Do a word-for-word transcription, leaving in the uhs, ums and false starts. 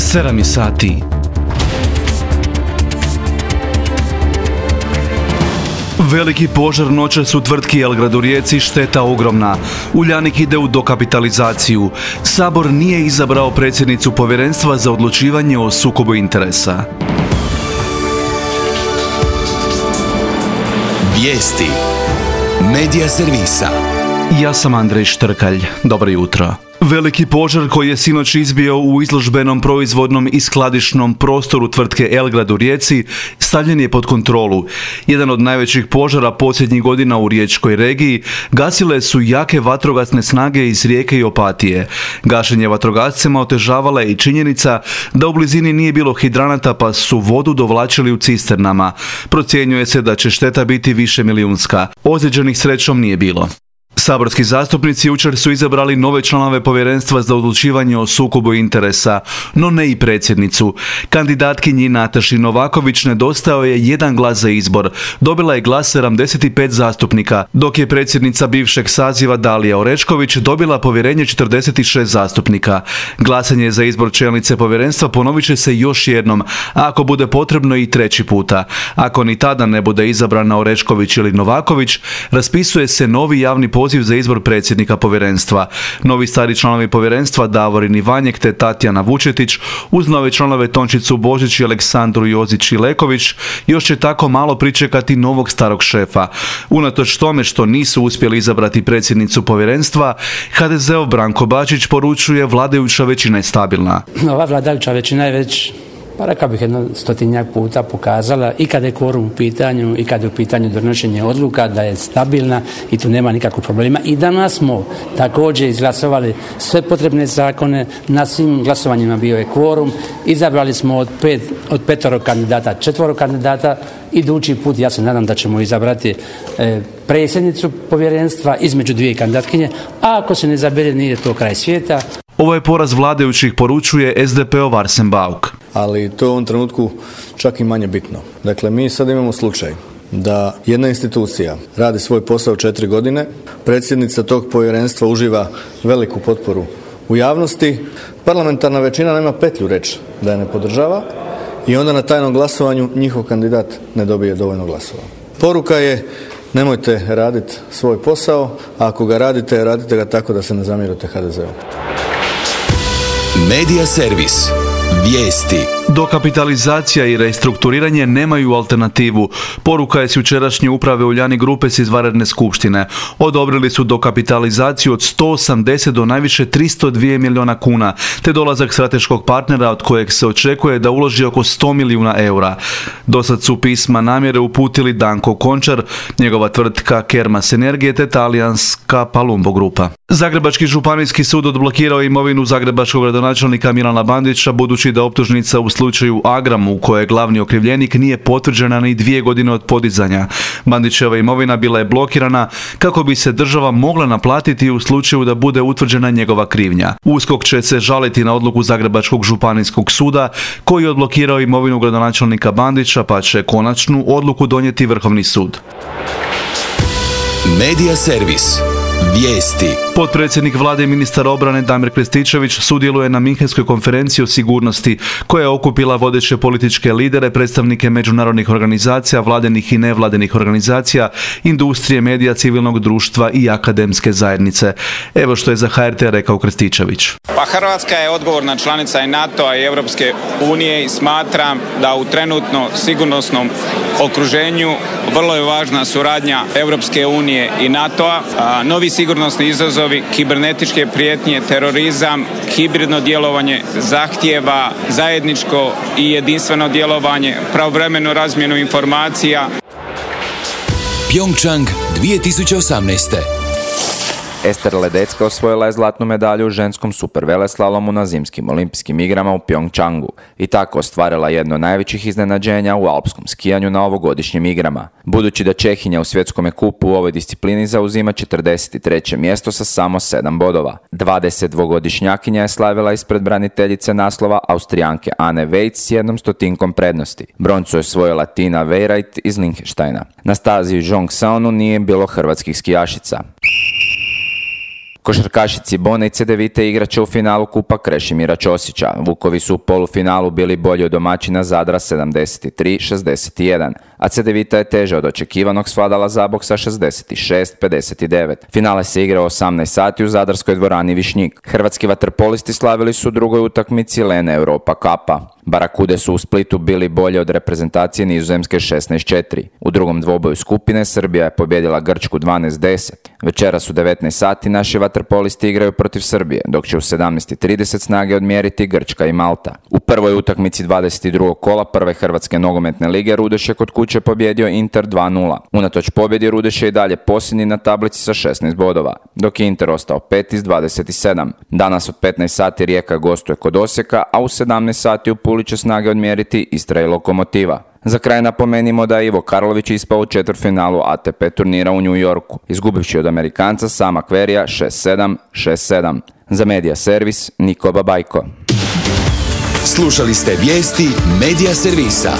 sedam sati. Veliki požar noćas u tvrtki Elgrad u Rijeci, šteta ogromna. Uljanik ide u dokapitalizaciju. Sabor nije izabrao predsjednicu povjerenstva za odlučivanje o sukobu interesa. Vijesti Medija servisa. Ja sam Andrej Štrkalj. Dobro jutro. Veliki požar koji je sinoć izbio u izložbenom proizvodnom i skladišnom prostoru tvrtke Elgrad u Rijeci stavljen je pod kontrolu. Jedan od najvećih požara posljednjih godina u riječkoj regiji gasile su jake vatrogasne snage iz Rijeke i Opatije. Gašenje vatrogascima otežavala je i činjenica da u blizini nije bilo hidranata pa su vodu dovlačili u cisternama. Procjenjuje se da će šteta biti više milijunska. Ozlijeđenih srećom nije bilo. Saborski zastupnici jučer su izabrali nove članove povjerenstva za odlučivanje o sukobu interesa, no ne i predsjednicu. Kandidatkinji Nataši Novaković nedostao je jedan glas za izbor. Dobila je glas sedamdeset pet zastupnika, dok je predsjednica bivšeg saziva Dalija Orešković dobila povjerenje četrdeset šest zastupnika. Glasanje za izbor čelnice povjerenstva ponovit će se još jednom, a ako bude potrebno i treći puta. Ako ni tada ne bude izabrana Orešković ili Novaković, raspisuje se novi javni poziv za izbor predsjednika povjerenstva. Novi stari članovi povjerenstva Davorin Ivanjek te Tatjana Vučetić uz nove članove Tončicu Božić i Aleksandru Jozić-Ileković još će tako malo pričekati novog starog šefa. Unatoč tome što nisu uspjeli izabrati predsjednicu povjerenstva, ha de zeov Branko Bačić poručuje vladajuća većina je stabilna. Ova vladajuća većina je već, pa rekao bih, jedno stotinjak puta pokazala i kada je kvorum u pitanju i kada je u pitanju donošenje odluka da je stabilna i tu nema nikakvog problema. I danas smo također izglasovali sve potrebne zakone, na svim glasovanjima bio je kvorum, izabrali smo od, pet, od petoro kandidata četvoro kandidata. Idući put ja se nadam da ćemo izabrati e, predsjednicu povjerenstva između dvije kandidatkinje, a ako se ne izabere nije to kraj svijeta. Ovo je poraz vladajućih, poručuje es de pe ov Arsen Bauk. Ali to je u ovom trenutku čak i manje bitno. Dakle, mi sad imamo slučaj da jedna institucija radi svoj posao četiri godine, predsjednica tog povjerenstva uživa veliku potporu u javnosti, parlamentarna većina nema petlju reći da je ne podržava i onda na tajnom glasovanju njihov kandidat ne dobije dovoljno glasova. Poruka je: nemojte raditi svoj posao, a ako ga radite, radite ga tako da se ne zamjerite ha de zeu. Medija servis. Vijesti. Dokapitalizacija i restrukturiranje nemaju alternativu. Poruka je s jučerašnje uprave Uljanik grupe s izvanredne skupštine. Odobrili su dokapitalizaciju od sto osamdeset do najviše tristo dva milijuna kuna, te dolazak strateškog partnera od kojeg se očekuje da uloži oko sto milijuna eura. Dosad su pisma namjere uputili Danko Končar, njegova tvrtka Kermas Energije te talijanska Palumbo grupa. Zagrebački županijski sud odblokirao imovinu zagrebačkog gradonačelnika Milana Bandića, budući da optužnica u slučaju Agram, u kojoj je glavni okrivljenik, nije potvrđena ni dvije godine od podizanja. Bandićeva imovina bila je blokirana kako bi se država mogla naplatiti u slučaju da bude utvrđena njegova krivnja. USKOK će se žaliti na odluku Zagrebačkog županijskog suda koji je odblokirao imovinu gradonačelnika Bandića, pa će konačnu odluku donijeti Vrhovni sud. Medija servis. Vijesti. Potpredsjednik vlade i ministar obrane Damir Krstičević sudjeluje na Minhenskoj konferenciji o sigurnosti koja je okupila vodeće političke lidere, predstavnike međunarodnih organizacija, vladinih i nevladinih organizacija, industrije, medija, civilnog društva i akademske zajednice. Evo što je za ha er te rekao Krstičević. Pa Hrvatska je odgovorna članica i NATO-a i Europske unije i smatram da u trenutno sigurnosnom okruženju vrlo je važna suradnja Europske unije i NATO-a. A, novi sigurnosni izazovi, kibernetičke prijetnje, terorizam, hibridno djelovanje zahtijeva zajedničko i jedinstveno djelovanje, pravovremenu razmjenu informacija. Pyeongchang dvije tisuće osamnaeste. Ester Ledecka osvojila je zlatnu medalju u ženskom superveleslalomu na zimskim olimpijskim igrama u Pyeongchangu i tako ostvarila jedno od najvećih iznenađenja u alpskom skijanju na ovogodišnjim igrama. Budući da Čehinja u svjetskome kupu u ovoj disciplini zauzima četrdeset treće mjesto sa samo sedam bodova. dvadesetdvogodišnjakinja je slavila ispred braniteljice naslova Austrijanke Anne Vejc s jednom stotinkom prednosti. Broncu je osvojila Tina Vejrajt iz Liechtensteina. Na stazi u Jongseonu nije bilo hrvatskih skijašica. Košarkaši Cibone i Cedevite igraće u finalu Kupa Krešimira Ćosića. Vukovi su u polufinalu bili bolji od domaćina Zadra sedamdeset tri šezdeset jedan, a Cedevita je teže od očekivanog svladala Zabok sa šezdeset šest pedeset devet. Finale se igrao osamnaest sati u zadarskoj dvorani Višnjik. Hrvatski vaterpolisti slavili su u drugoj utakmici Lene Europa Cupa. Barakude su u Splitu bili bolje od reprezentacije Nizozemske šesnaest četiri. U drugom dvoboju skupine Srbija je pobjedila Grčku dvanaest deset. Večeras u devetnaest sati naši vaterpolisti igraju protiv Srbije, dok će u sedamnaest trideset snage odmjeriti Grčka i Malta. U prvoj utakmici dvadeset drugog kola prve Hrvatske nogometne lige Rudeš je kod kuće pobjedio Inter dva nula. Unatoč pobjedi Rudeš je i dalje posljednji na tablici sa šesnaest bodova, dok je Inter ostao peti s dvadeset sedam. Danas od petnaest sati Rijeka gostuje kod Osijeka, a u sedamnaest sati u Puli će snage odmjeriti Istra i Lokomotiva. Za kraj napomenimo da je Ivo Karlović ispao u četvrtfinalu A T P turnira u New Yorku, izgubivši od Amerikanca Sama Querreyja šest sedam šest sedam. Za Medija Servis, Niko Babajko. Slušali ste vijesti Medija Servisa.